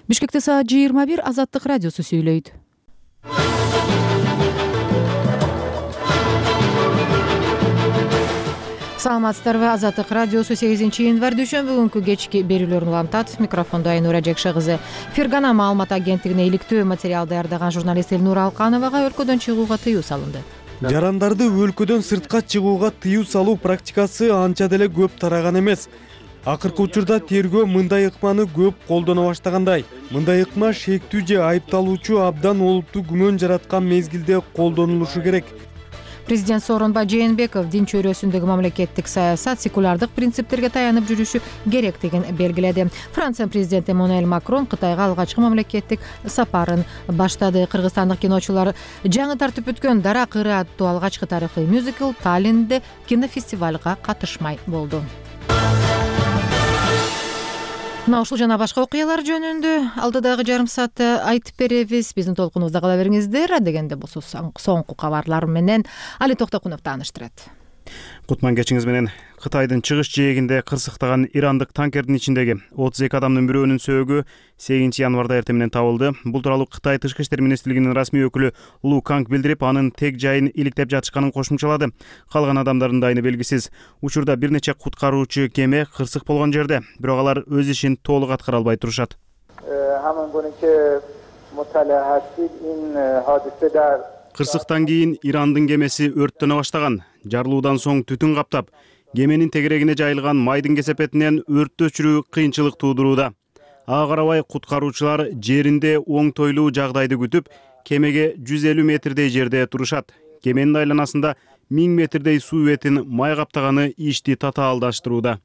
Бишкекте саат 21 Азаттык радиосу сүйлөйт. Саламатсыздарбы? Азаттык радиосу 8-январь дүйшөмбү күнкү кечки берүүлөрүн улантат. Микрофондо Айнура Жекше кызы. Фергана маалымат агенттигине иликтөө материал даярдаган журналист Элнура Алкановага өлкөдөн чыгууга тыюу салынды. Жарандарды өлкөдөн сыртка чыгууга тыюу салуу практикасы анча деле көп тараган эмес. Акыркы учурда тергөө мындай ыкманы көп колдоно баштагандай. Мындай ыкма шектүү же айыпталуучу абдан олуттуу күмөн жараткан мезгилде колдонулушу керек. Президент Сооронбай Жээнбеков дин чөйрөсүндөгү мамлекеттик саясат секулярдык принциптерге таянып жүрүшү керектигин белгиледи. Франция президенти Эммануэль Макрон Кытайга алгачкы мамлекеттик сапарын баштады. Кыргызстандык киночулар жаңы тартып өткөн Дара кыры аттуу алгачкы тарыхый мюзикл Таллинде кинофестивалга катышмай болду. Мына ушул жана башка окуялар жөнүндө алдыдагы жарым саатта айтып беребиз. Биздин толкунубузда кала бериңиздер. Адегенде болсо соңку кабарлар менен Али Токтокунов тааныштырат. Кутман кечиңиз менен. Кытайдын чыгыш жээгинде кырсыктаган ирандык танкердин ичиндеги 32 адамдын бирөөнүн сөөгү 8 январда эртең менен табылды. Бул тууралуу Кытай Тышкы иштер министрлигинин расмий өкүлү Лу Канг билдирип, анын тег жайын иликтеп жатышканын кошумчалады. Калган адамдардын дайыны белгисиз. Учурда бир нече куткаруучу кеме кырсык болгон жерде, бирок алар өз ишин толук аткара албай турушат. Кырсыктан кийин Ирандын кемеси өрттөнө баштаган. Жарылуудан соң түтүн каптап, кеменин тегерегине жайылган майдын кесепетинен өрттү өчүрүү кыйынчылык туудурууда. Ага карабай куткаруучулар жеринде оңтойлуу жагдайды күтүп, кемеге 150 метрдей жерде турушат. Кеменин айланасында 1000 метрдей суу бетин май каптаганы ишти татаалдаштырууда,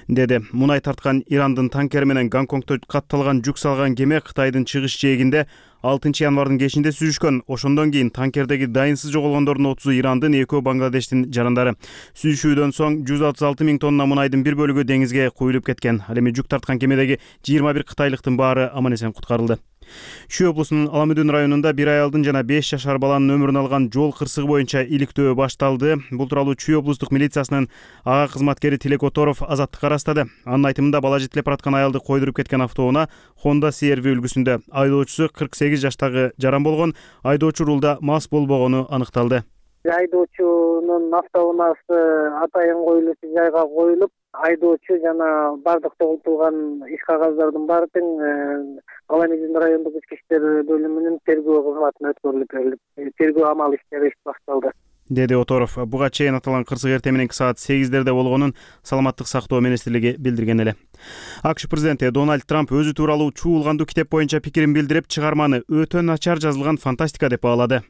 деди. Мунай тарткан Ирандын танкери менен Гонконгдо катталган жүк салган кеме Кытайдын чыгыш жээгинде 6 январдын кечинде сүзүшкөн. Ошондон кийин танкердеги дайынсыз жоголгондордун 30-у Ирандын, 2-өө Бангладештин жарандары. Сүзүшүүдөн соң 136 000 тонна мунайдын бир бөлүгү деңизге куюлуп кеткен. Ал эми жүк тарткан кемедеги 21 кытайлыктын баары аман-эсен куткарылды. Шүй облусунун Аламүдүн районунда bir аялдын жана 5 жашар баланын өмүрүн алган жол кырсыгы боюнча иликтөө башталды. Бул тууралуу Чүй облустук милициясынын ага кызматкери Тилек Оторов Азаттыкка ырастады. Анын айтымында бала жетелеп бараткан аялды койдуруп кеткен автоунаа Honda CR-V үлгүсүндө. Айдоочусу 48 жаштагы жаран болгон. Айдоочу рулда мас болбогону аныкталды. Айдоочунун автоунаасы атайын коюлуучу жайга коюлуп, айдоочу жана бардык тогултулган иш кагаздардын баары тең Аламүдүн райондук ички иштер бөлүмүнүн тергөө кызматына өткөрүлүп берилип, тергөө амал иштери башталды, деди Оторов. Буга чейин аталган кырсык эртең мененки саат 8-дерде болгонун Саламаттык сактоо министрлиги билдирген эле. АКШ президенти Дональд Трамп өзү тууралуу чуулгандуу китеп боюнча пикирин билдирип, чыгарманы өтө начар жазылган фантастика деп баалады.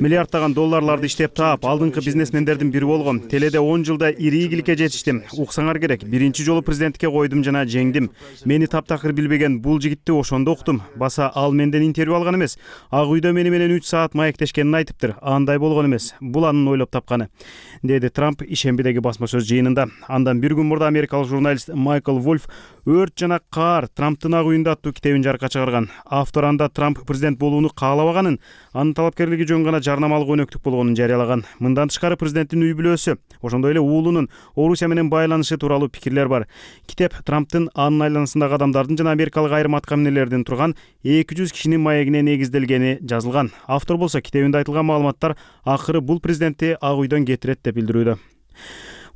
Миллиарддаган долларларды иштеп таап, алдыңкы бизнесмендердин бири болгом. Теледе 10 жылда ири ийгиликке жетиштим. Уксаңар керек. Биринчи жолу президенттикке койдум жана жеңдим. Мени таптакыр билбеген бул жигитти ошондо уктум. Баса ал менден интервью алган эмес. Ак үйдө мени менен 3 саат маектешкенин айтыптыр. Андай болгон эмес. Бул анын ойлоп тапканы, деди Трамп ишембидеги басма сөз жыйынында. Андан бир күн мурда америкалык журналист Майкл Вольф «Өрт жана каар Трамптын ак үйүндө» аттуу китебин жарыкка чыгарган. Автор анда Трамп президент болууну каалабаганын, анын талапкерлиги жөн гана жарнамалык өнөктүк болгонун жарыялаган. Мындан тышкары президенттин үй бүлөсү, ошондой эле уулунун Орусия менен байланышы тууралуу пикирлер бар. Китеп Трамптын анын айланасындагы адамдардын жана америкалык айрым аткаминерлердин турган 200 кишинин маегине негизделгени жазылган. Автор болсо китебинде айтылган маалыматтар акыры бул президентти ак үйдөн кетирет деп билдирүүдө.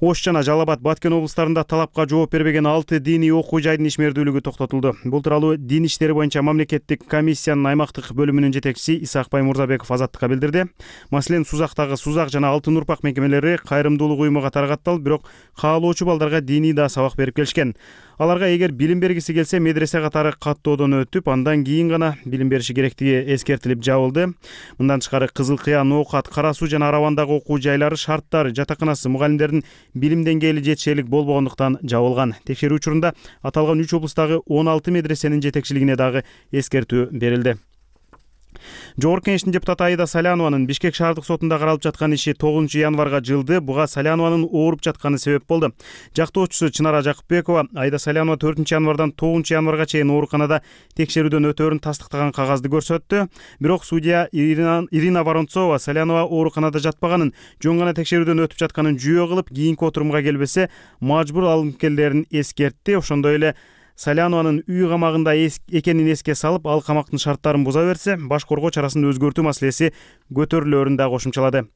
Ош жана Жалал Абад, Баткен облустарында талапка жооп бербеген 6 диний окуу жайдын ишмердүүлүгү токтотулду. Бул тууралуу дин иштери боюнча мамлекеттик комиссиянын аймактык бөлүмүнүн жетекчиси Исакбай Мурзабеков Азаттыкка билдирди. Маселен, Сузактагы Сузак жана Алтын Урпак мекемелери кайрымдуулук уюму катары катталып, бирок каалоочу балдарга диний да сабак берип келишкен. Аларга эгер билим бергиси келсе, медресе катары каттоодон өтүп, андан кийин гана билим бериши керектиги эскертилип жабылды. Мындан тышкары Кызыл Кыя, Ноокат, Кара Суу жана Аравандагы окуу жайлары, шарттары, жатаканасы, мугалимдердин билим деңгээли жетишерлик болбогондуктан жабылган. Текшерүү учурунда аталган 3 облустагы 16 медресенин жетекчилигине дагы эскертүү берилди. Жогорку Кеңештин депутаты Аида Салянованын Бишкек шаардык сотунда каралып жаткан иши 9 январга жылды. Буга Салянованын ооруп жатканы себеп болду. Жактоочусу Чынара Жакыпбекова Аида Салянова 4 январдан 9 январга чейин ооруканада текшерүүдөн өтөөрүн тастыктаган кагазды көрсөттү. Бирок судья Ирина Воронцова Салянова ооруканада жатпаганын, жөн гана текшерүүдөн өтүп жатканын жүйө кылып, кийинки отурумга келбесе мажбур алынкерлерин эскертти. Ошондой эле Салянованын үй камагында экенин эске салып, ал камактын шарттарын буза берсе, баш коргоо чарасын өзгөртүү маселеси көтөрүлөөрүн да кошумчалады.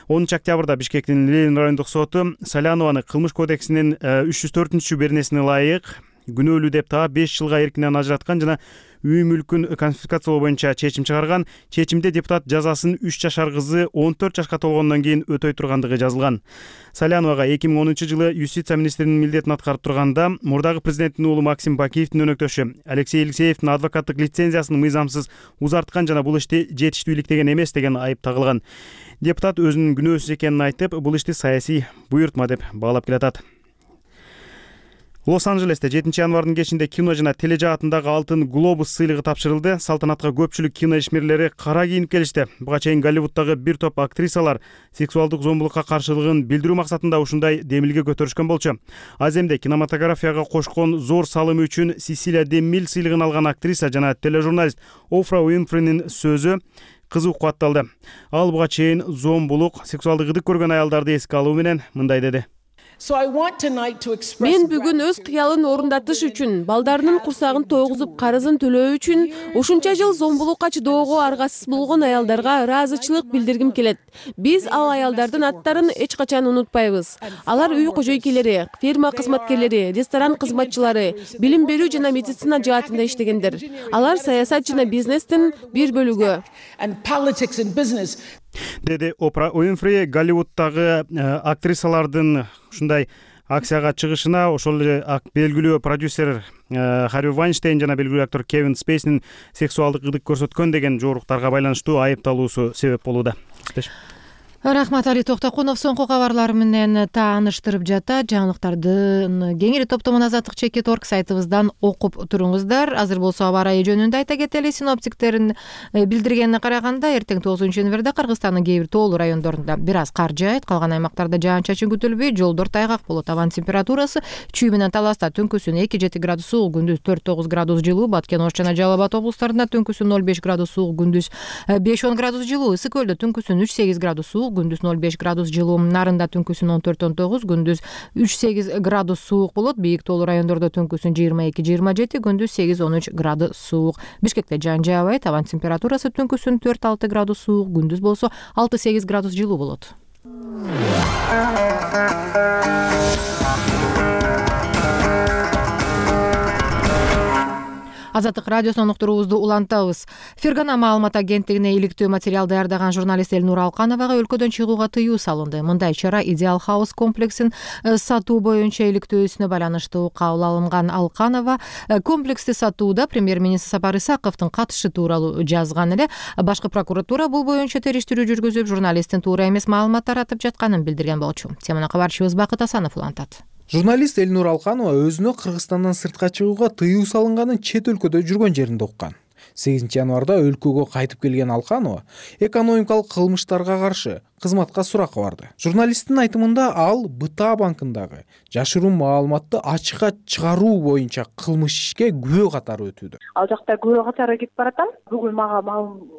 10 октябрда Бишкектин Ленин райондук соту Салянованы кылмыш кодексинин 304-беренесине ылайык күнөөлүү деп таап 5 жылга эркинен ажыраткан жана үй мүлкүн конфискациялоо боюнча чечим чыгарган. Чечимде депутат жазасын 3 жашар кызы 14 жашка толгондон кийин өтөй тургандыгы жазылган. Саляновага 2010-жылы юстиция министринин милдетин аткарып турганда мурдагы президенттин уулу Максим Бакиевдин өнөктөшү Алексей Алексеевдин адвокаттык лицензиясын мыйзамсыз узарткан жана бул ишти жетиштүү иликтеген эмес деген айып тагылган. Депутат өзүнүн күнөөсүз экенин айтып, бул ишти саясий буйртма деп баалап келатат. Лос-Анджелесте 7 январдын кечинде кино жана тележаатындагы алтын глобус сыйлыгы тапшырылды. Салтанатка көпчүлүк кино ишмерлери кара кийинип келишти. Буга чейин Голливуддагы бир топ актрисалар сексуалдык зомбулукка каршылыгын билдирүү максатында ушундай демилге көтөрүшкөн болчу. Аземде кинематографияга кошкон зор салымы үчүн Сесилия де Миль сыйлыгын алган актриса жана тележурналист Офра Уинфринин сөзү кызуу кубатталды. Ал буга чейин зомбулук, сексуалдык ыдык көргөн аялдарды эске алуу менен мындай деди. Мен бүгүн өз кыялын орундатыш үчүн, балдарынын курсагын тойгузуп карызын төлөө үчүн ушунча жыл зомбулукка чыдоого аргасыз болгон аялдарга ыраазычылык билдиргим келет. Биз ал аялдардын аттарын эч качан унутпайбыз. Алар үй кожойкелери, ферма кызматкерлери, ресторан кызматчылары, билим берүү жана медицина жаатында иштегендер. Алар саясат жана бизнестин бир бөлүгү. Деди Опра Уинфри. Голливуддагы актрисалардын ушундай акцияга чыгышына ошол эле белгилүү продюсер Харви Вайнштейн жана белгилүү актер Кевин Спейсинин сексуалдык ыдык көрсөткөн деген жоруктарга байланыштуу айыпталуусу себеп болууда. Рахмат, Али Токтокунов соңку кабарлар менен тааныштырып жатат. Жаңылыктардын кеңири топтомун Азаттык _org сайтыбыздан окуп туруңуздар. Азыр болсо аба ырайы жөнүндө айта кетели. Синоптиктердин билдиргенине караганда, эртең 9 январда Кыргызстандын кээ бир тоолуу райондорунда бир аз кар жаайт, калган аймактарда жаан-чачын күтүлбөйт, жолдор тайгак болот. Абанын температурасы Чүй менен Таласта түнкүсүн 2-7 градус суук, күндүз 4-9 градус жылуу, Баткен, Ош жана Жалал Абад облустарында түнкүсүн 0-5 градус суук, күндүз 5-10 градус жылуу, Ысык Көлдө түнкүсүн 3-8 градус суук, күндүз 0-5 градус жылуу, Нарында түнкүсүн 14-19, күндүз 3-8 градус суук болот. Бийик тоолуу райондордо түнкүсүн 22-27, күндүз 8-13 градус суук. Бишкекте жаан жаабайт, абанын температурасы түнкүсүн 4-6 градус суук, күндүз болсо 6-8 градус жылуу болот. Азаттык радиосунун уктуруубузду улантабыз. Фергана маалымат агенттигине иликтөө материал даярдаган журналист Элнур Алкановага өлкөдөн чыгууга тыюу салынды. Мындай чара Идеал Хаус комплексин сатуу боюнча иликтөөсүнө байланыштуу кабыл алынган. Алканова комплексти сатууда премьер-министр Сапар Исаковдун катышы тууралуу жазган эле. Башкы прокуратура бул боюнча териштирүү жүргүзүп, журналисттин туура эмес маалымат таратып жатканын билдирген болчу. Теманы кабарчыбыз Бакыт Асанов улантат. Журналист Элнур Алканова өзүнө Кыргызстандан сыртка чыгууга тыюу салынганын чет өлкөдө жүргөн жеринде уккан. 8 январда өлкөгө кайтып келген Алканова экономикалык кылмыштарга каршы кызматка суракка барды. Журналисттин айтымында ал БТА банкындагы жашыруун маалыматты ачыкка чыгаруу боюнча кылмыш ишке күбө катары өтүүдө. Ал жакта күбө катары кетип баратам. Бүгүн мага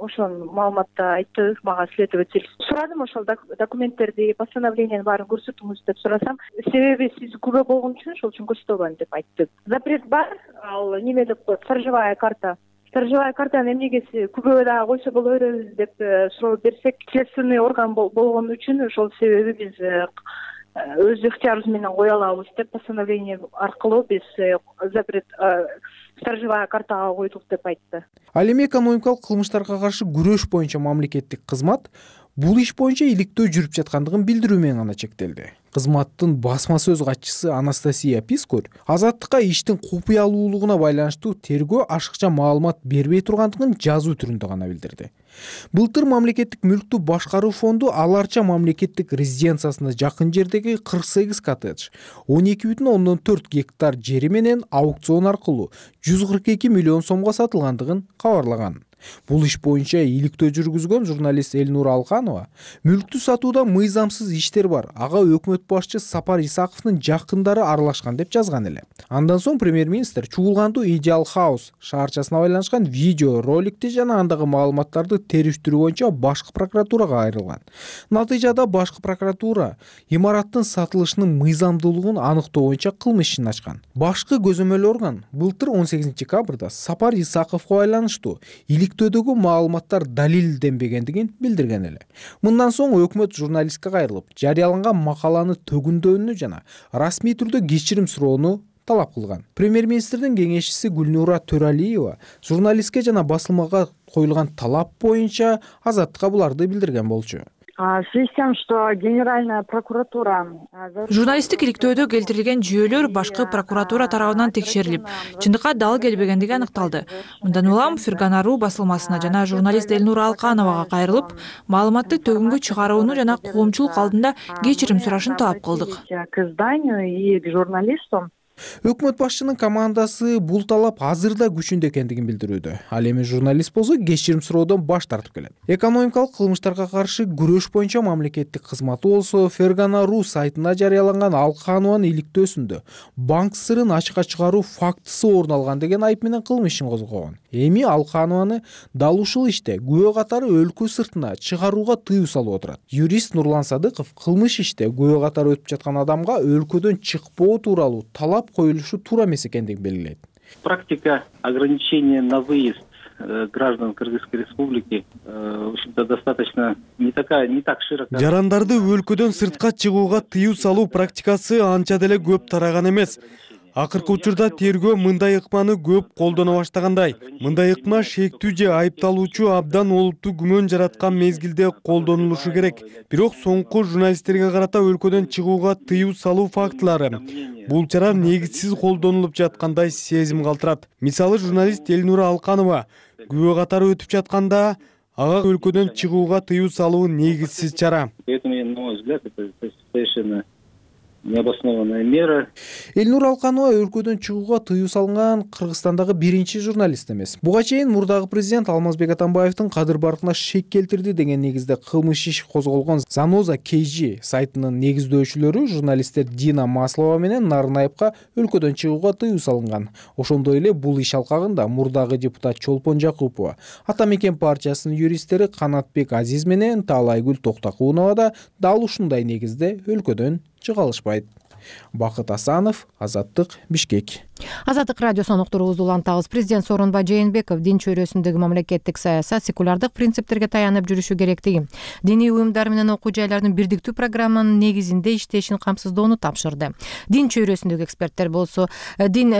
ошол маалыматты айтты, мага следователь. Сурадым ошол документтерди, постановлениянын баарын көрсөтүңүз деп сурасам, себеби сиз күбө болгон үчүн ошол үчүн көрсөтө албайм деп айтты. Запрет бар, ал неме деп коет, сторожевая карта. Сторожевая картаны эмнеге күбө да койсо боло беребиз деп суроо берсек, следственный орган болгон үчүн ошол себеби биз өз ыктыярыбыз менен кое алабыз деп постановление аркылуу биз запрет сторожевая картага койдук деп айтты. Ал эми экономикалык кылмыштарга каршы күрөш боюнча мамлекеттик кызмат бул иш боюнча иликтөө жүрүп жаткандыгын билдирүү менен гана чектелди. Кызматтын басма сөз катчысы Анастасия Пискор Азаттыкка иштин купуялуулугуна байланыштуу тергөө ашыкча маалымат бербей тургандыгын жазуу түрүндө гана билдирди. Былтыр мамлекеттик мүлктү башкаруу фонду аларча мамлекеттик резиденциясына жакын жердеги 48 коттедж, 12,4 гектар жери менен аукцион аркылуу 142 миллион сомго сатылгандыгын кабарлаган. Бул иш боюнча иликтөө жүргүзгөн журналист Элнура Алканова мүлктү сатууда мыйзамсыз иштер бар, ага өкмөт башчы Сапар Исаковдун жакындары аралашкан деп жазган эле. Андан соң премьер-министр Чуулгандуу Ideal House шаарчасына байланышкан видео роликти жана андагы маалыматтарды териштирүү боюнча башкы прокуратурага кайрылган. Натыйжада башкы прокуратура имараттын сатылышынын мыйзамдуулугун аныктоо боюнча кылмыш ишин ачкан. Башкы көзөмөл орган былтыр 18 декабрда Сапар Исаковго байланыштуу иликтөөдөгү маалыматтар далилденбегендигин билдирген эле. Мындан соң өкмөт журналистке кайрылып, жарыяланган макаланы төгүндөөнү жана расмий түрдө кечирим суроону талап кылган. Премьер-министрдин кеңешчиси Гүлнура Төралиева журналистке жана басылмага коюлган талап боюнча Азаттыкка буларды билдирген болчу. В связи с тем, что Генеральная прокуратура... Журналисттик иликтөөдө келтирилген жүйөлөр башкы прокуратура тарабынан текшерилип, чындыкка дал келбегендиги аныкталды. Мындан улам Ферганару басылмасына жана журналист Элнура Алкановага кайрылып, маалыматты төгүнгө чыгарууну жана коомчулук алдында кечирим сурашын талап кылдык. К изданию и к журналисту. Өкмөт башчынын командасы бул талап азырда күчүндө экендигин билдирүүдө. Ал эми журналист болсо кечирим суроодон баш тартып келет. Экономикалык кылмыштарга каршы күрөш боюнча мамлекеттик кызматы болсо Ферганару сайтына жарыяланган Алканованын иликтөөсүндө банк сырын ачыкка чыгаруу фактысы орун алган деген айып менен кылмыш ишин козгогон. Эми Алканованы дал ушул иште күбө катары өлкө сыртына чыгарууга тыюу салып отурат. Юрист Нурлан Садыков кылмыш иште күбө катары өтүп жаткан адамга өлкөдөн чыкпоо тууралуу талап коюлушу туура эмес экендигин белгилейт. Практика ограничения на выезд граждан Кыргызской республики в общем-то достаточно не так широко. Жарандарды өлкөдөн сыртка чыгууга тыюу салуу практикасы анча деле көп тараган эмес. Акыркы учурда тергөө мындай ыкманы көп колдоно баштагандай. Мындай ыкма шектүү же айыпталуучу абдан олуттуу күмөн жараткан мезгилде колдонулушу керек. Бирок соңку журналисттерге карата өлкөдөн чыгууга тыюу салуу фактылары бул чара негизсиз колдонулуп жаткандай сезим калтырат. Мисалы, журналист Элнура Алканова күбө катары өтүп жатканда ага өлкөдөн чыгууга тыюу салуу негизсиз чара. Поэтому, на мой взгляд, это совершенно необоснованная мера. Элнура Алканова өлкөдөн чыгууга тыюу салган Кыргызстандагы биринчи журналист эмес. Буга чейин мурдагы президент Алмазбек Атамбаевдин кадыр баркына шек келтирди деген негизде кылмыш иш козголгон Заноза KG сайтынын негиздөөчүлөрү журналисттер Дина Маслова менен Нарынаевка өлкөдөн чыгууга тыюу салынган. Ошондой эле бул иш алкагында мурдагы депутат Чолпон Жакупова, Ата мекен партиясынын юристтери Канатбек Азиз менен Таалайгүл Токтокунова да дал ушундай негизде өлкөдөн чыга алышпайт. Бакыт Асанов, Азаттык, Бишкек. Азаттык радиосунун уктуруубузду улантабыз. Президент Сооронбай Жээнбеков дин чөйрөсүндөгү мамлекеттик саясат секулярдык принциптерге таянып жүрүшү керектиги, диний уюмдар менен окуу жайлардын бирдиктүү программанын негизинде иштешин камсыздоону тапшырды. Дин чөйрөсүндөгү эксперттер болсо дин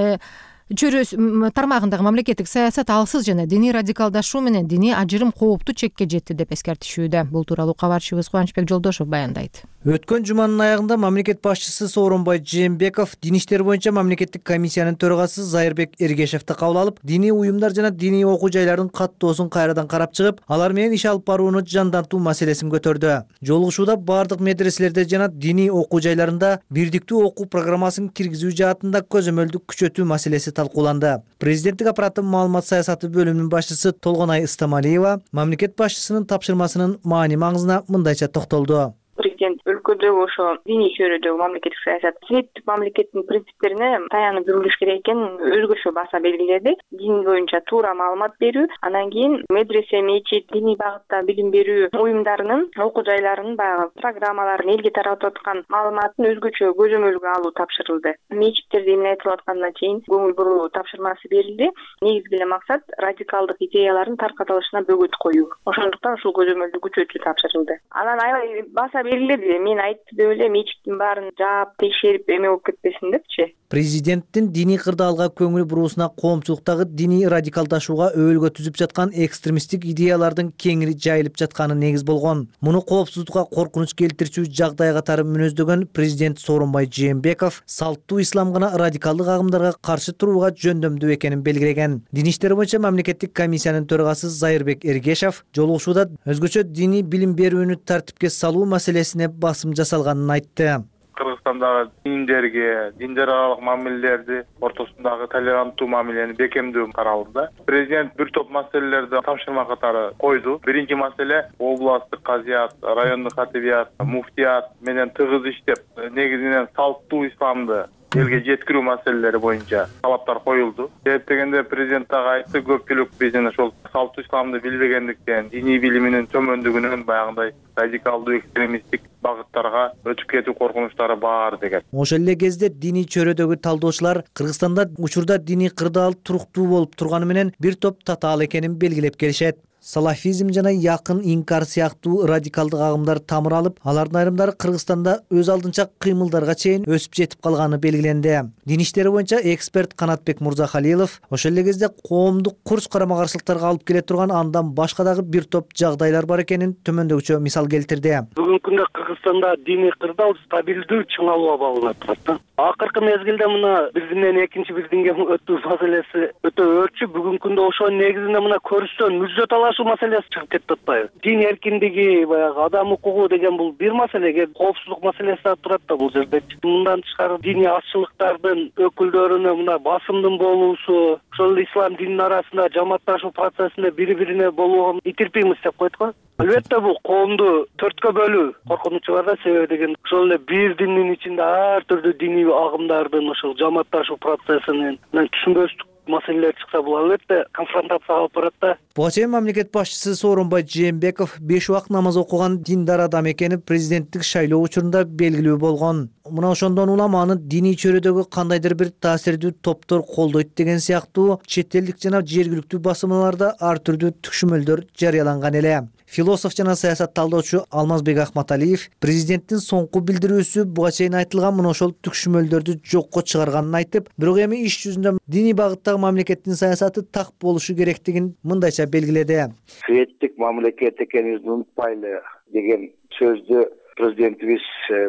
чөйрөс тармагындагы мамлекеттик саясат алсыз жана диний радикалдашуу менен диний ажырым кооптуу чекке жетти деп эскертишүүдө. Бул тууралуу кабарчыбыз Кубанычбек Жолдошов баяндайт. Өткөн жуманын аягында мамлекет башчысы Сооронбай Жээнбеков дин иштери боюнча мамлекеттик комиссиянын төрагасы Зайырбек Эргешевди кабыл алып, диний уюмдар жана диний окуу жайлардын каттоосун кайрадан карап чыгып, алар менен иш алып барууну жандантуу маселесин көтөрдү. Жолугушууда бардык медреселерде жана диний окуу жайларында бирдиктүү окуу программасын киргизүү жаатында көзөмөлдү күчөтүү маселеси талкууланды. Президенттик аппараттын маалымат саясаты бөлүмүнүн башчысы Толгонай Ыстамалиева мамлекет башчысынын тапшырмасынын маани маңызына мындайча токтолду. Президент өлкөдөгү ошо диний чөйрөдөгү мамлекеттик саясат светтик мамлекеттин принциптерине таянып жүрүлүш керек экенин өзгөчө баса белгиледи. Дин боюнча туура маалымат берүү, анан кийин медресе, мечит, диний багытта билим берүү уюмдарынын окуу жайларынын баягы программаларын, элге таратып аткан маалыматын өзгөчө көзөмөлгө алуу тапшырылды. Мечиттерде эмне айтылып атканына чейин көңүл буруу тапшырмасы берилди. Негизги эле максат радикалдык идеялардын таркатылышына бөгөт коюу. Ошондуктан ушул көзөмөлдү күчөтүү тапшырылды. Анан аябай баса белгиледи. Мен айтты деп эле мечиттин баарын жаап, текшерип эме болуп кетпесин депчи. Президенттин диний кырдаалга көңүл буруусуна коомчулуктагы диний радикалдашууга өбөлгө түзүп жаткан экстремисттик идеялардын кеңири жайылып жатканы негиз болгон. Муну коопсуздукка коркунуч келтирчү жагдай катары мүнөздөгөн президент Сооронбай Жээнбеков салттуу ислам гана радикалдык агымдарга каршы турууга жөндөмдүү экенин белгилеген. Дин иштери боюнча мамлекеттик комиссиянын төрагасы Зайырбек Эргешев жолугушууда өзгөчө диний билим берүүнү тартипке салуу маселесине басым жасалганын айтты. Кыргыз Кыргызстандагы диндерге, диндер аралык мамилелерди, ортосундагы толеранттуу мамилени бекемдөө каралды. Президент бир топ маселелерди тапшырма катары койду. Биринчи маселе областтык казият, райондук катибият, муфтият менен тыгыз иштеп, негизинен салттуу исламды элге жеткирүү маселелери боюнча талаптар коюлду. Себеп дегенде президент дагы айтты, көпчүлүк биздин ошол салттуу исламды билбегендиктен, диний билиминин төмөндүгүнөн баягындай радикалдуу экстремисттик багыттарга өтүп кетүү коркунучтары бар деген. Ошол эле кезде диний чөйрөдөгү талдоочулар Кыргызстанда учурда диний кырдаал туруктуу болуп турганы менен бир топ татаал экенин белгилеп келишет. Салафизм жана якын инкар сыяктуу радикалдык агымдар тамыр алып, алардын айрымдары Кыргызстанда өз алдынча кыймылдарга чейин өсүп жетип калганы белгиленди. Дин иштери боюнча эксперт Канатбек Мурзахалилов ошол эле кезде коомдук курч карама-каршылыктарга алып келе турган андан башка дагы бир топ жагдайлар бар экенин төмөндөгүчө мисал келтирди. Бүгүнкү күндө Кыргызстанда диний кырдаал стабилдүү чыңалуу абалына турат. Акыркы мезгилде мына бирдинен экинчи бирдинге өтүү маселеси өтө өрчү. Бүгүнкү күндө ошонун негизинде мына көрүштөн мүжө талашуу маселеси чыгып кетип атпайбы? Дин эркиндиги, баягы адам укугу деген бул бир маселеге, коопсуздук маселеси да турат да бул жерде. Мындан тышкары диний азчылыктардын өкүлдөрүнө мына басымдын болуусу, ошол ислам дининин арасында жамаатташуу процессинде бири-бирине болууга итерпеймиз деп койт го. Албетте бул коомду төрткө бөлүү коркунучу бар да, себеби деген ошол эле бир диндин ичинде ар түрдүү диний агымдардын ошол жамаатташуу процессинин түшүнбөстүк маселелер чыкса, бул албетте конфронтацияга алып барат да. Буга чейин мамлекет башчысы Сооронбай Жээнбеков 5 убак намаз окуган диндар адам экени президенттик шайлоо учурунда белгилүү болгон. Мына ошондон улам аны диний чөйрөдөгү кандайдыр бир таасирдүү топтор колдойт деген сыяктуу чет элдик жана жергиликтүү басылмаларда ар түрдүү түшүмөлдөр жарыяланган эле. Философ жана саясат талдоочу Алмазбек Ахматалиев президенттин соңку билдирүүсү буга чейин айтылган мына ошол түшүмөлдөрдү жокко чыгарганын айтып, бирок эми иш жүзүндө диний багыттагы мамлекеттин саясаты так болушу керектигин мындайча белгиледи. Светтик мамлекет экенибизди унутпайлы деген сөздү президентибиз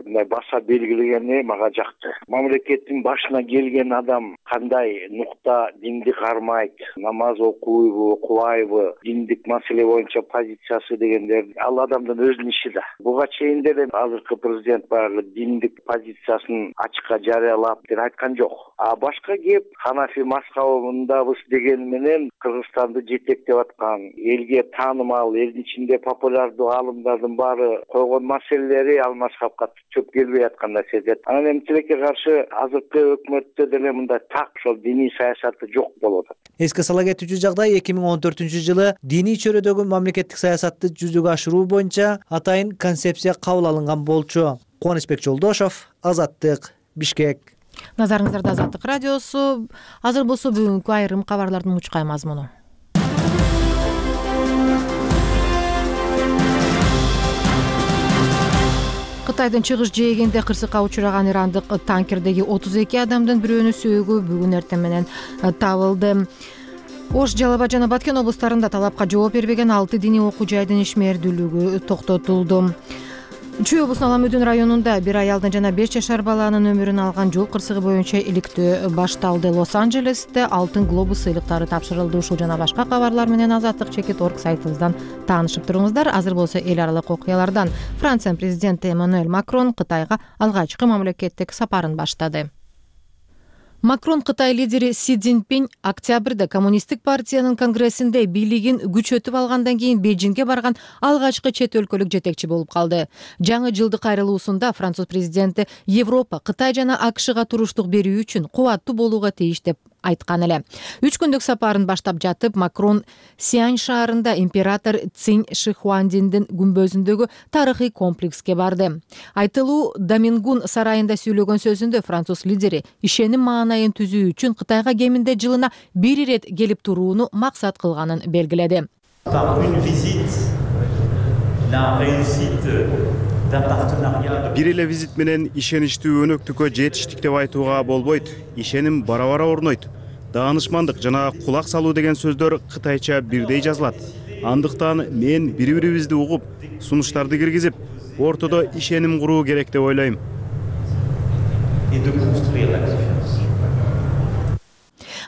мындай баса белгилегени мага жакты. Мамлекеттин башына келген адам кандай нукта динди кармайт, намаз окуйбу, окубайбы, диндик маселе боюнча позициясы дегендер ал адамдын өзүнүн иши да. Буга чейин деле азыркы президент баягы диндик позициясын ачыкка жарыялап деп айткан жок. А башка кеп ханафи мазхабындабыз деген менен Кыргызстанды жетектеп аткан, элге таанымал, элдин ичинде популярдуу аалымдардын баары койгон маселелер ал мазхабка чөп келбей аткан нерсе. Анан эми тилекке каршы азыркы өкмөттө деле мындай так ошол диний саясаты жок болуп атат. Эске сала кетүүчү жагдай 2014-жылы диний чөйрөдөгү мамлекеттик саясатты жүзөгө ашыруу боюнча атайын концепция кабыл алынган болчу. Кубанычбек Жолдошов, Азаттык, Бишкек. Назарыңыздарда Азаттык радиосу. Азыр болсо бүгүнкү айрым кабарлардын мучкай мазмуну. Кытайдын чыгыш жээгинде кырсыкка учураган ирандык танкердеги 32 адамдын бирөөнүн сөөгү бүгүн эртең менен табылды. Ош, Жалал Абад жана Баткен облустарында талапка жооп бербеген 6 диний окуу жайдын ишмердүүлүгү токтотулду. Чүй облусунун Аламөдүн районунда бир аялдын жана 5 жашар баланын өмүрүн алган жол кырсыгы боюнча иликтөө башталды. Лос-Анджелесте алтын глобус сыйлыктары тапшырылды. Ушул жана башка кабарлар менен Азаттык.org сайтыбыздан таанышып туруңуздар. Азыр болсо эл аралык окуялардан. Франция президенти Эммануэль Макрон Кытайга алгачкы мамлекеттик сапарын баштады. Макрон Кытай лидери Си Цзиньпин октябрда Коммунисттик партиянын конгрессинде бийлигин күчөтүп алгандан кийин Бейжиңге барган алгачкы чет өлкөлүк жетекчи болуп калды. Жаңы жылдык кайрылуусунда француз президенти Европа, Кытай жана АКШга туруштук берүү үчүн кубаттуу болууга тийиш деп айткан эле. 3 күндүк сапарын баштап жатып, Макрон Сиань шаарында император Цинь Шихуандиндин күмбөзүндөгү тарыхый комплекске барды. Айтылуу Домингун сарайында сүйлөгөн сөзүндө француз лидери ишеним маанайын түзүү үчүн Кытайга кеминде жылына 1 ирет келип турууну максат кылганын белгиледи. Бир эле визит менен ишеничтүү өнөктүккө жетиштик деп айтууга болбойт. Ишеним бара-бара орнойт. Даанышмандык жана кулак салуу деген сөздөр кытайча бирдей жазылат. Андыктан мен бири-бирибизди угуп, сунуштарды киргизип, ортодо ишеним куруу керек деп ойлойм.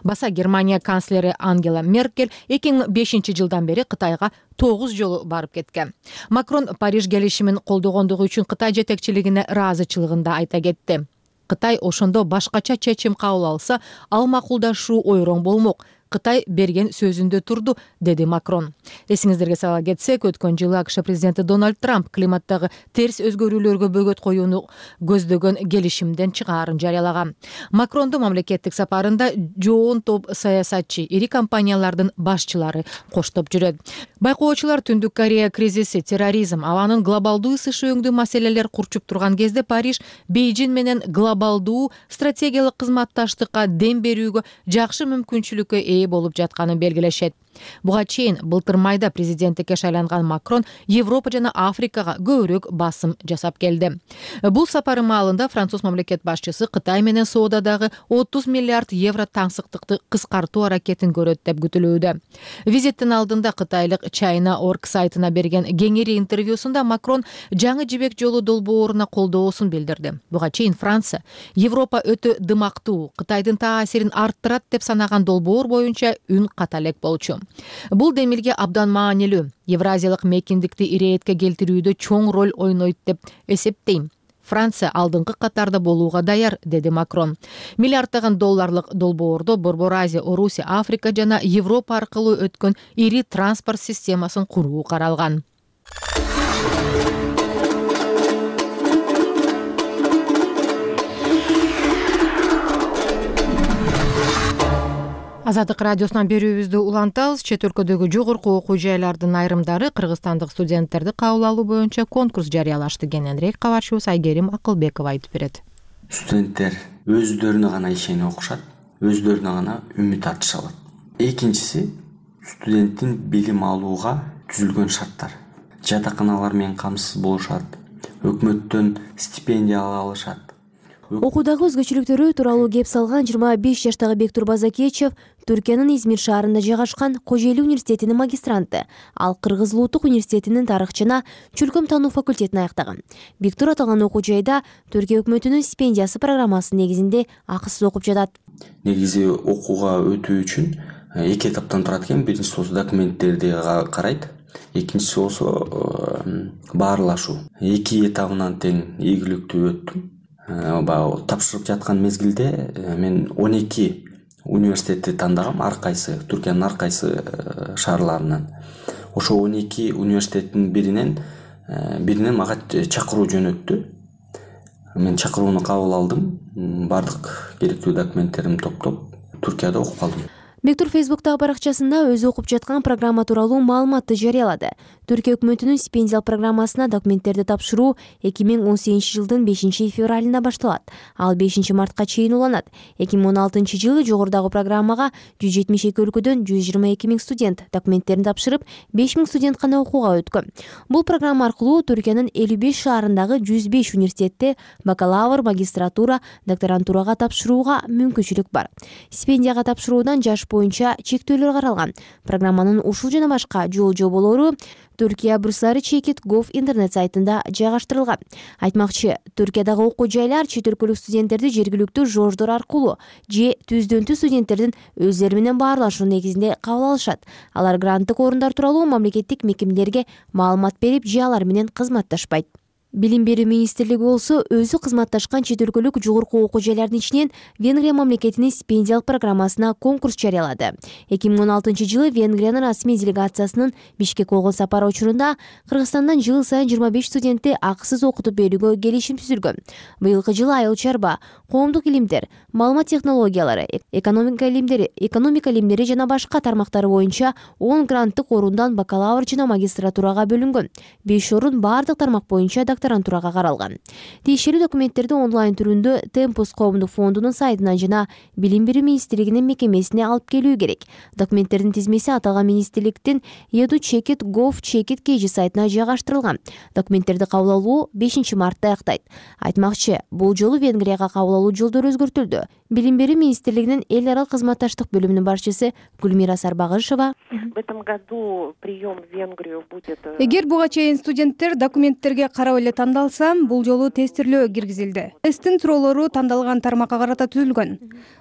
Баса Германия канцлери Ангела Меркель 2005 жылдан бери Кытайга 9 жолу барып кеткен. Макрон Париж келишимин колдогондугу үчүн Кытай жетекчилигине ыраазычылыгын да айта кетти. Кытай ошондо башкача чечим кабыл алса, ал макулдашуу ойроң болмок. Кытай берген сөзүндө турду, деди Макрон. Эсиңиздерге сала кетсек, өткөн жылы АКШ президенти Дональд Трамп климаттагы терс өзгөрүүлөргө бөгөт коюуну көздөгөн келишимден чыгаарын жарыялаган. Макрондун мамлекеттик сапарында жоон топ саясатчы, ири компаниялардын башчылары коштоп жүрөт. Байкоочулар Түндүк Корея кризиси, терроризм, абанын глобалдуу ысышы өңдүү маселелер курчуп турган кезде Париж Бейжин менен глобалдуу стратегиялык кызматташтыкка дем берүүгө жакшы мүмкүнчүлүккө ээ болуп жатканын белгилешет. Буга чейин былтыр майда президенттикке шайланган Макрон Европа жана Африкага көбүрөөк басым жасап келди. Бул сапары маалында француз мамлекет башчысы Кытай менен соодадагы 30 миллиард евро таңсыктыкты кыскартуу аракетин көрөт деп күтүлүүдө. Визиттин алдында кытайлык China.org сайтына берген кеңири интервьюсунда Макрон жаңы жибек жолу долбооруна колдоосун билдирди. Буга чейин Франция Европа өтө дымактуу, Кытайдын таасирин арттырат деп санаган долбоор боюнча үн ката элек болчу. Бул демилге абдан маанилүү, Евразиялык мейкиндикти ирээтке келтирүүдө чоң роль ойнойт деп эсептейм. Франция алдыңкы катарда болууга даяр, деди Макрон. Миллиарддаган долларлык долбоордо Борбор Азия, Орусия, Африка жана Европа аркылуу өткөн ири транспорт системасын куруу каралган. Азаттык радиосунан берүүбүздү улантабыз. Чет өлкөдөгү жогорку окуу жайлардын айрымдары кыргызстандык студенттерди кабыл алуу боюнча конкурс жарыялашты. Кененирээк кабарчыбыз Айгерим Акылбекова айтып берет. Студенттер өздөрүнө гана ишенип окушат, өздөрүнө гана үмүт артыша алат. Экинчиси, студенттин билим алууга түзүлгөн шарттар. Жатаканалар менен камсыз болушат, өкмөттөн стипендия ала алышат. Окуудагы өзгөчөлүктөрү тууралуу кеп салган 25 жаштагы Бектур Базакечев Түркиянын Измир шаарында жайгашкан Кожоэли университетинин магистранты. Ал Кыргыз Улуттук университетинин тарых жана чөлкөм таануу факультетин аяктаган. Бектур аталган окуу жайда Түркия өкмөтүнүн стипендиясы программасы негизинде акысыз окуп жатат. Негизи окууга өтүү үчүн эки этаптан турат экен. Биринчиси болсо документтерди карайт. Экинчиси болсо баарлашуу. Эки этабынан тең ийгиликтүү өттүм. Тапшырып жаткан мезгилде мен 12 университетти тандагам, ар кайсы Түркиянын ар кайсы шаарларынан. Ошо 12 университеттин биринен мага чакыруу жөнөттү. Мен чакырууну кабыл алдым. Бардык керектүү документтеримди топтоп Түркияда окуп калдым. Бектур Фейсбуктагы баракчасында өзү окуп жаткан программа тууралуу маалыматты жарыялады. Түркия өкмөтүнүн стипендиялык программасына документтерди тапшыруу 2018 жылдын 5 февралында башталат. Ал 5 мартка чейин уланат. 2016 жылы жогорудагы программага 172 өлкөдөн 122 000 студент документтерин тапшырып, 5 000 студент гана окууга өткөн. Бул программа аркылуу Түркиянын 55 шаарындагы 105 университетте бакалавр, магистратура, докторантурага тапшырууга мүмкүнчүлүк бар. Стипендияга тапшыруудан жаш боюнча чектөөлөр каралган. Программанын ушул жана башка жол-жоболору Түркия Bursary.gov интернет сайтында жайгаштырылган. Айтмакчы, Түркиядагы окуу жайлар чет өлкөлүк студенттерди жергиликтүү жождор аркылуу же түздөнтүү студенттердин өздөрү менен баарлашуу негизинде кабыл алышат. Алар гранттык орундар тууралуу мамлекеттик мекемелерге маалымат берип же алар менен кызматташпайт. Билим берүү министрлиги болсо өзү кызматташкан чет өлкөлүк жогорку окуу жайлардын ичинен Венгрия мамлекетинин стипендиялык программасына конкурс жарыялады. 2016 жылы Венгриянын расмий делегациясынын Бишкек болгон сапары учурунда Кыргызстандан жыл сайын 25 студентти акысыз окутуп берүүгө келишим түзүлгөн. Быйылкы жылы айыл чарба, коомдук илимдер, маалымат технологиялары, экономика илимдери жана башка тармактары боюнча 10 гранттык орундан бакалавр жана магистратурага бөлүнгөн. 5 орун бардык тармак боюнча докторантурага каралган. Тиешелүү документтерди онлайн түрүндө Темпус коомдук фондунун сайтынан жана Билим берүү министрлигинин мекемесине алып келүү керек. Документтердин тизмеси аталган министрликтин edu.gov.kg сайтына жайгаштырылган. Документтерди кабыл алуу 5 мартта аяктайт. Айтмакчы, бул жолу Венгрияга кабыл алуу жолдору өзгөртүлдү. Билим берүү министрлигинин эл аралык кызматташтык бөлүмүнүн башчысы Гүлмира Сарбагышева: В этом году прием в Венгрию будет. Эгер буга чейин студенттер документтерге карап эле тандалса, бул жолу тестирлөө киргизилди. Тесттин суроолору тандалган тармакка карата түзүлгөн.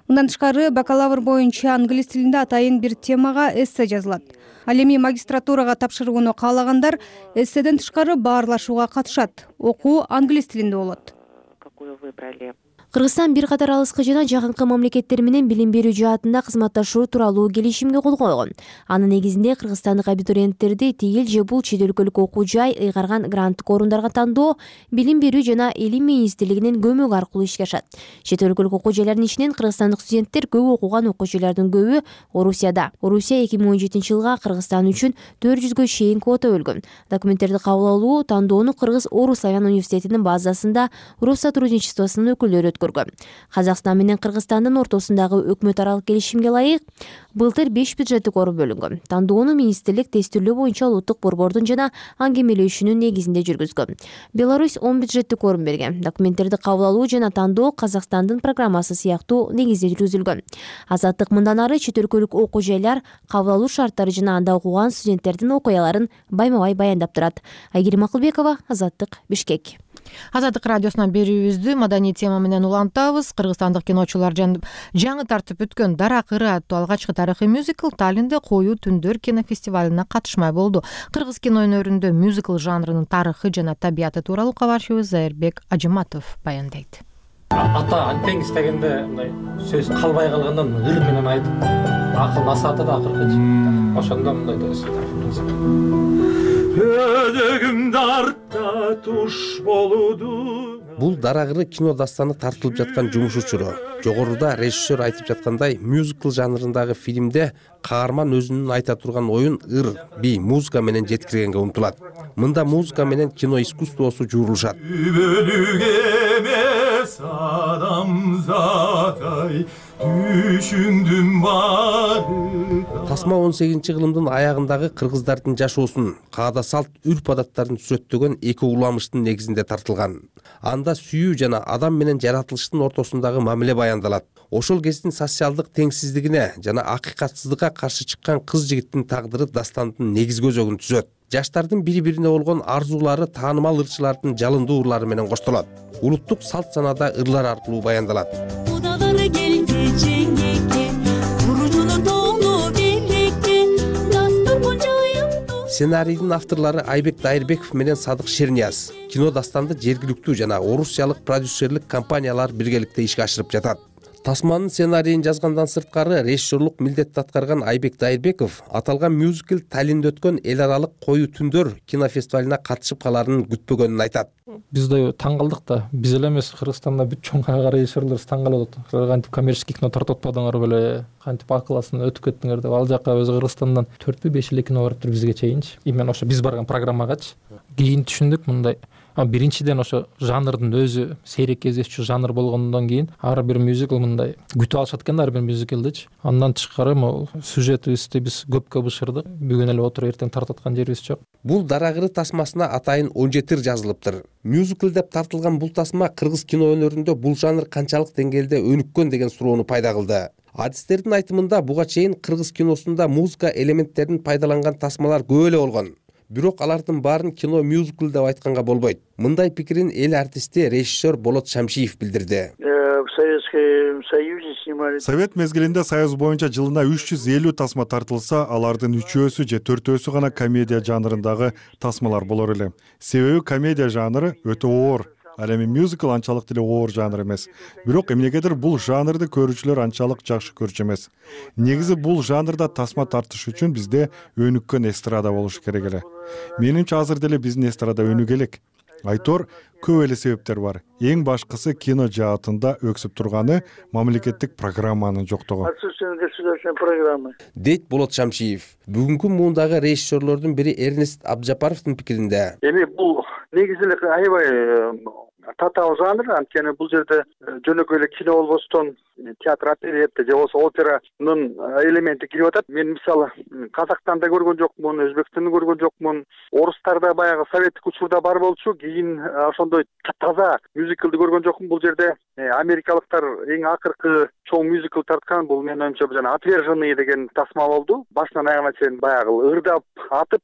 Мындан тышкары бакалавр боюнча англис тилинде атайын бир темага эссе жазылат. Ал эми магистратурага тапшырууну каалагандар эсседен тышкары баарлашууга катышат. Окуу англис тилинде болот. Какую выбрали? Кыргызстан бир катар алыскы жана жакынкы мамлекеттер менен билим берүү жаатында кызматташуу тууралуу келишимге кол койгон. Анын негизинде кыргызстандык абитуриенттерди тигил же бул чет өлкөлүк окуу жай ыйгарган гранттык орундарга тандоо билим берүү жана илим министрлигинин көмөгү аркылуу ишке ашат. Чет өлкөлүк окуу жайлардын ичинен кыргызстандык студенттер көп окуган окуучулардын көбү Орусияда. Орусия 2017-жылга Кыргызстан үчүн 400гө чейин квота бөлгөн. Документтерди кабыл алуу тандоону Кыргыз-Орус славян университетинин базасында Россотрудничествосунун өкүлдөрү Казакстан менен Кыргызстандын ортосундагы өкмөт аралык келишимге ылайык былтыр 5 бюджеттик орун бөлүнгөн. Тандоону министрлик тестирлөө боюнча улуттук борбордун жана аңгемелешүүнүн негизинде жүргүзгөн. Беларусь 10 бюджеттик орун берген. Документтерди кабыл алуу жана тандоо Казакстандын программасы сыяктуу негизде жүргүзүлгөн. Азаттык мындан ары чет өлкөлүк окуу жайлар, кабыл алуу шарттары жана анда окуган студенттердин окуяларын байма-бай баяндап турат. Айгерим Акылбекова, Азаттык, Бишкек. Азаттык радиосунан берүүбүздү маданий тема менен улантабыз. Кыргызстандык киночулар жаңы тартып өткөн Дарак ыры аттуу алгачкы тарыхый мюзикл Таллинде коюу түндөр кинофестивалына катышмай болду. Кыргыз кино өнөрүндө мюзикл жанрынын тарыхы жана табияты тууралуу кабарчыбыз Зайырбек Ажыматов баяндайт. Ата антең истегенде мындай сөз калбай калгандан ыр менен айтып, акыл насааты да акыркы. Ошондо мындай өзөгүмдү артта туш болуду. Бул Дарак ыры кино дастаны тартылып жаткан жумуш учуру. Жогоруда режиссер айтып жаткандай, мюзикл жанрындагы фильмде каарман өзүнүн айта турган оюн ыр, би, музыка менен жеткиргенге умтулат. Мында музыка менен кино искусствосу жуурулушат. Тасма 18-кылымдын аягындагы кыргыздардын жашоосун, каада салт, үрп адаттарын сүрөттөгөн эки уламыштын негизинде тартылган. Анда сүйүү жана адам менен жаратылыштын ортосундагы мамиле баяндалат. Ошол кездин социалдык теңсиздигине жана акыйкатсыздыкка каршы чыккан кыз жигиттин тагдыры дастандын негизги өзөгүн түзөт. Жаштардын бири-бирине болгон арзуулары таанымал ырчылардын жалындуу ырлары менен коштолот. Улуттук салт санада ырлар аркылуу баяндалат. Сценарийдин авторлору Айбек Дайырбеков менен Садык Шернияз. Кино дастанды жергиликтүү жана орусиялык продюсерлик компаниялар биргеликте ишке ашырып жатат. Тасманын сценарийин жазгандан сырткары режиссерлук милдетти аткарган Айбек Дайырбеков аталган мюзикл Таллинде өткөн эл аралык коюу түндөр кинофестивалына катышып каларын күтпөгөнүн айтат. Биз да таң калдык да, биз эле эмес, Кыргызстанда бүт чоң режиссерлер таң калып атат. Кантип коммерческий кино тартып атпадыңар беле, кантип акыласын өтүп кеттиңер деп. Ал жака өзү Кыргызстандан 4-5 эле кино барыптыр бизге чейинчи. Именно ошо биз барган программагачы. Кийин түшүндүк мындай. Биринчиден ошо жанрдын өзү сейрек кездешчү жанр болгондон кийин ар бир мюзикл мындай күтүп алышат экен ар бир мюзиклдичи. Андан тышкары могу сюжетибизди биз көпкө бышырдык. Бүгүн эле отуруп эртең тартып аткан жерибиз жок. Бул Дарак ыры тасмасына атайын 17 жазылыптыр. Мюзикл деп тартылган бул тасма кыргыз кино өнөрүндө бул жанр канчалык деңгээлде өнүккөн деген суроону пайда кылды. Адистердин айтымында буга чейин кыргыз киносунда музыка элементтерин пайдаланган тасмалар көп эле болгон. Бирок алардын баарын кино мюзикл деп айтканга болбойт. Мындай пикирин эл артисти режиссер Болот Шамшиев билдирди. Совет мезгилинде Союз боюнча жылына 350 тасма тартылса, алардын 3-өсү же 4-өсү гана комедия жанрындагы тасмалар болор эле. Себеби комедия жанры өтө оор. Ал эми мюзикл анчалык деле оор жанр эмес. Бирок эмнегедир бул жанрды көрүүчүлөр анчалык жакшы көрчү эмес. Негизи бул жанрда тасма тартыш үчүн бизде өнүккөн эстрада болуш керек эле. Менимче азыр деле биздин эстрада өнүгө элек. Айтор көп эле себептер бар. Эң башкысы кино жаатында өксүп турганы мамлекеттик программанын жоктугу. Дейт Болот Шамшиев. Бүгүнкү муундагы режиссерлордун бири Эрнест Абджапаровдун пикиринде. Эми бул негизи эле аябай татаал жанр. Анткени бул жерде жөнөкөй эле кино болбостон театр, оперетта же болбосо операнын элементи кирип атат. Мен мисалы Казактан да көргөн жокмун, Өзбекстан да көргөн жокмун. Орустарда баягы советтик учурда бар болчу, кийин ошондой таза мюзиклди көргөн жокмун. Бул жерде америкалыктар эң акыркы чоң мюзикл тарткан. Бул менин оюмча жана «Отверженные» деген тасма болду. Башынан аягына чейин баягы ырдап атып,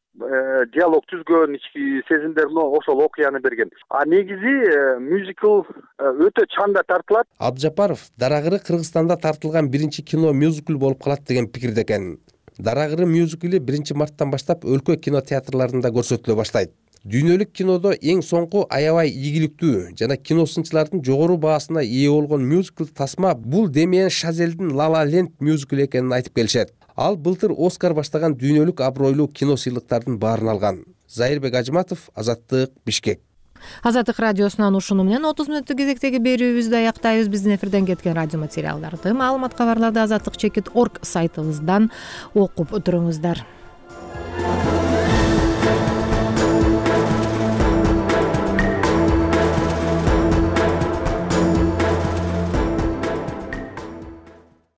диалог түзгөн, ички сезимдерин ошол окуяны берген. А негизи мюзикл өтө чанда тартылат. Абджапаров Дарагыры Кыргызстанда тартылган биринчи кино мюзикл болуп калат деген пикирде экен. Дарагыры мюзикли 1-марттан баштап өлкө кинотеатрларында көрсөтүлө баштайт. Дүйнөлүк кинодо эң соңку аябай ийгиликтүү жана киносунчулардын жогору баасына ээ болгон мюзикл тасма бул Демиен Шазелдин La La Land мюзикли экенин айтып келишет. Ал былтыр Оскар баштаган дүйнөлүк абройлуу кино сыйлыктардын баарын алган. Зайырбек Ажыматов, Азаттык, Бишкек. Азаттык радиосунан ушуну менен 30 мүнөттүк кезектеги берүүбүздү аяктайбыз. Биздин эфирден кеткен радио материалдарды, маалымат кабарларды азаттык.org сайтыбыздан окуп туруңуздар.